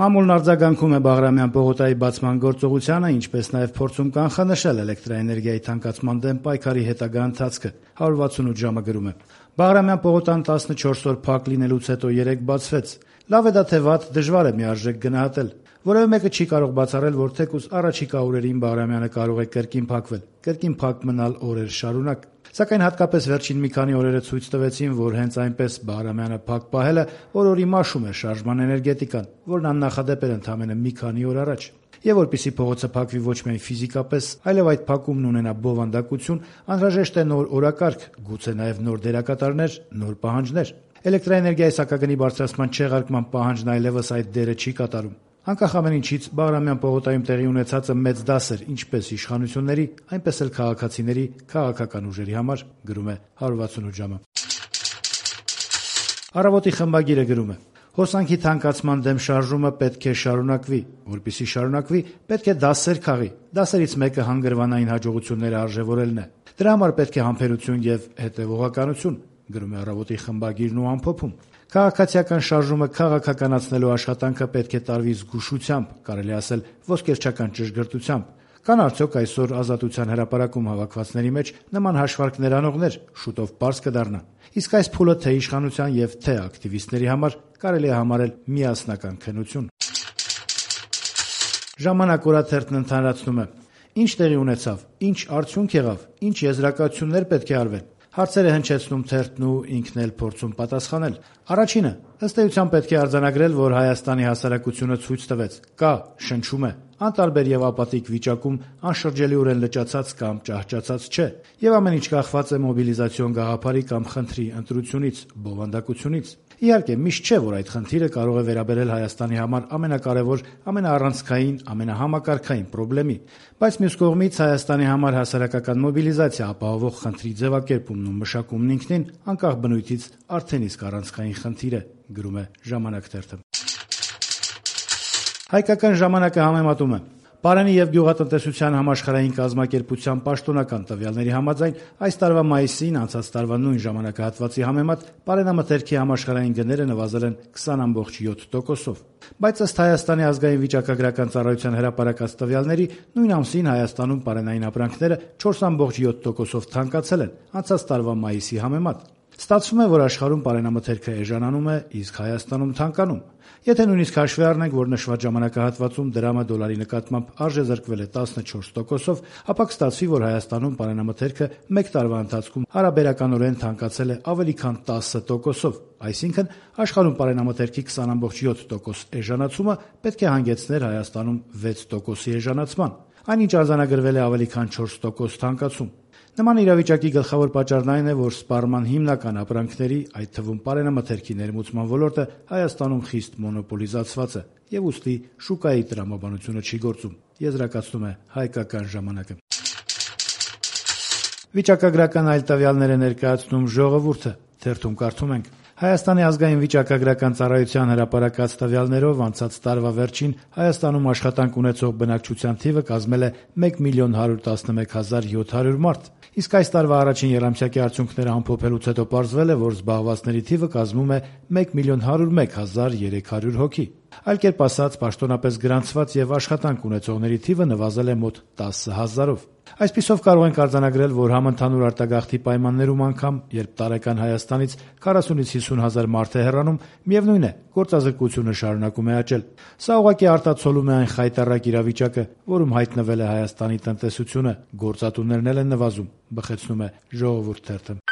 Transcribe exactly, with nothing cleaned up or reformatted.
Մամուլն արձագանքում է Բաղրամյան պողոտայի բացման գործողությանը, ինչպես նաև փորձում կանխանշել էլեկտրաէներգիայի թանկացման դեմ պայքարի հետագա ընթացքը։ հարյուր վաթսունութ ժամը գրում է. Բաղրամյան պողոտան տասնչորս օր փակ լինելուց հետո երեկ բացվեց։ Լավ է դա թե վատ, դժվար է միարժեք գնահատել։ Որևէ մեկը չի կարող բացառել, որ թեկուզ առաջիկա օրերին Բաղրամյանը կարող է կրկին փակվել, կրկին փակ մնալ օրեր շարունակ։ Սակայն հատկապես վերջին մի քանի օրերը ցույց տվեցին, որ հենց այնպես Բաղրամյանը փակ պահելը օր-օրի մաշում է շարժման էներգետիկան, որն աննախադեպ էր ընդամենը մի քանի օր առաջ։ Եվ որպեսզի փողոցը փակվի ոչ միայն ֆիզիկապես, այլև այդ փակումն ունենա բովանդակություն, անհրաժեշտ է նոր օրակարգ, գուցե նաև նոր դերակատարներ, նոր պահանջներ։ Էլեկտրաէներգիայի սակագնի բարձրացման չեղարկման պահանջն այլևս այդ դերը չի կատարում։ Անկախ ամեն ինչից, Բաղրամյան պողոտայում տեղի ունեցածը մեծ դաս էր ինչպես իշխանությունների, այնպես էլ քաղաքացիների, քաղաքական ուժերի համար, գրում է հարյուր վաթսունութ ժամը։ Առավոտի խմբագիրը գրում է. Հոսանքի թանկացման դեմ շարժումը պետք է շարունակվի, որպեսզի շարունակվի, պետք է դասեր քաղի։ Դասերից մեկը հանգրվանային հաջողությունները արժևորելն է։ Դրա համար պետք է համբերություն եւ հետեւողականություն, գրում է Առավոտի խմբագիրն ու ամփոփում։ Քաղաքացիական շարժումը քաղաքականացնելու աշխատանքը պետք է տարվի զգուշությամբ, կարելի ասել ոսկերչական ճշգրտությամբ։ Կան արդյոք այսօր Ազատության հրապարակում հավաքվածների մեջ նման հաշվարկներ անողներ, շուտով պարզ կդառնա։ Իսկ այս փուլը թե իշխանության եւ թե ակտիվիստների համար կարելի է համարել միասնական քննություն։ Ժամանակ օրաթերթն ընդհանրացնում է. Ինչ տեղի ունեցավ, ինչ արդյունք եղավ, ինչ եզրակացություններ պետք է արվեն։ Հարցեր է հնչեցնում թերթն ու ինքն էլ փորձում պատասխանել։ Առաջինը, ըստ էության պետք է արձանագրել, որ Հայաստանի հասարակությունը ցույց տվեց, կա, շնչում է, անտարբեր եւ ապատիկ վիճակում, անշրջելիորեն լճացած կամ ճահճացած չէ, եւ ամեն ինչ կախված է մոբիլիզացիոն գաղափարի կամ խնդրի ընտրությունից, բովանդակությունից։ Իհարկե, միշտ չէ, որ այդ խնդիրը կարող է վերաբերել Հայաստանի համար ամենակարևոր, ամենաառանցքային, ամենահամակարգային խնդրի, բայց մյուս կողմից Հայաստանի համար հասարակական մոբիլիզացիա ապահովող խնդրի ձևակերպումն ու մշակումն ինքնին, անկախ բնույթից, արդեն իսկ առանցքային խնդիր է, գրում է Ժամանակ թերթը։ Հայկական ժամանակը համեմատում է. Պարանի եւ գյուղատնտեսության համաշխարհային կազմակերպության պաշտոնական տվյալների համաձայն այս տարվա մայիսին անցած տարվա նույն ժամանակահատվածի համեմատ պարենամթերքի համաշխարհային գները նվազել են քսան կoma յոթ տոկոսով։ Բայց ըստ Հայաստանի ազգային վիճակագրական ծառայության հրապարակած տվյալների նույն ամսին Հայաստանում պարենային ապրանքները չորս կoma յոթ տոկոսով թանկացել են անցած տարվա մայիսի համեմատ։ Ստացվում է, որ աշխարհում պարենամթերքը էժանանում է, իսկ Հայաստանում թանկանում։ Եթե նույնիսկ հաշվի առնենք, որ նշված ժամանակահատվածում դրամը դոլարի նկատմամբ արժեզրկվել է տասնչորս տոկոսով, ապա կստացվի, որ Հայաստանում պարենամթերքը մեկ տարվա ընթացքում հարաբերականորեն թանկացել է ավելի քան տասը տոկոսով, այսինքն աշխարհում պարենամթերքի քսան կoma յոթ տոկոս էժանացումը պետք է հանգեցներ Հայաստանում վեց տոկոսի էժանացման, այնինչ արձանագրվել է ավելի քան չորս տոկոս թանկացում։ Նման իրավիճակի գլխավոր պատճառն այն է, որ սպառման հիմնական ապրանքների, այդ թվում պարենամթերքի ներմուծման ոլորտը Հայաստանում խիստ մոնոպոլիզացված է եւ ուստի շուկայի տրամաբանությունը չի գործում, եզրակացնում է Հայկական ժամանակը։ Վիճակագրական այլ տվյալներ է ներկայացնում Ժողովուրդը, թերթում կարդում ենք. Հայաստանի ազգային վիճակագրական ծառայության հրապարակած տվյալներով անցած տարվա վերջին Հայաստանում աշխատանք ունեցող բնակչության թիվը կազմել է մեկ միլիոն հարյուր տասնմեկ հազար յոթ հարյուր մարդ, իսկ այս տարվա առաջին եռամսյակի արդյունքները ամփոփելուց հետո պարզվել է, որ զբաղվածների թիվը կազմում է մեկ միլիոն հարյուր մեկ հազար երեք հարյուր հոգի։ Այլ կերպ ասած, պաշտոնապես գրանցված եւ աշխատանք ունեցողների թիվը նվազել է մոտ տասը հազարով։ Այսպիսով կարող ենք արձանագրել, որ համընդհանուր արտագաղթի պայմաններում անգամ, երբ տարեկան Հայաստանից քառասունից հիսուն հազար մարդ է հեռանում, միևնույն է, գործազրկությունը շարունակում է աճել։ Սա ուղղակի արտացոլում է այն խայտառակ իրավիճակը, որում հայտնվել է Հայաստանի տնտեսությունը, գործատուներն էլ են նվազում, բխեցնում է Ժողովուրդ թերթը։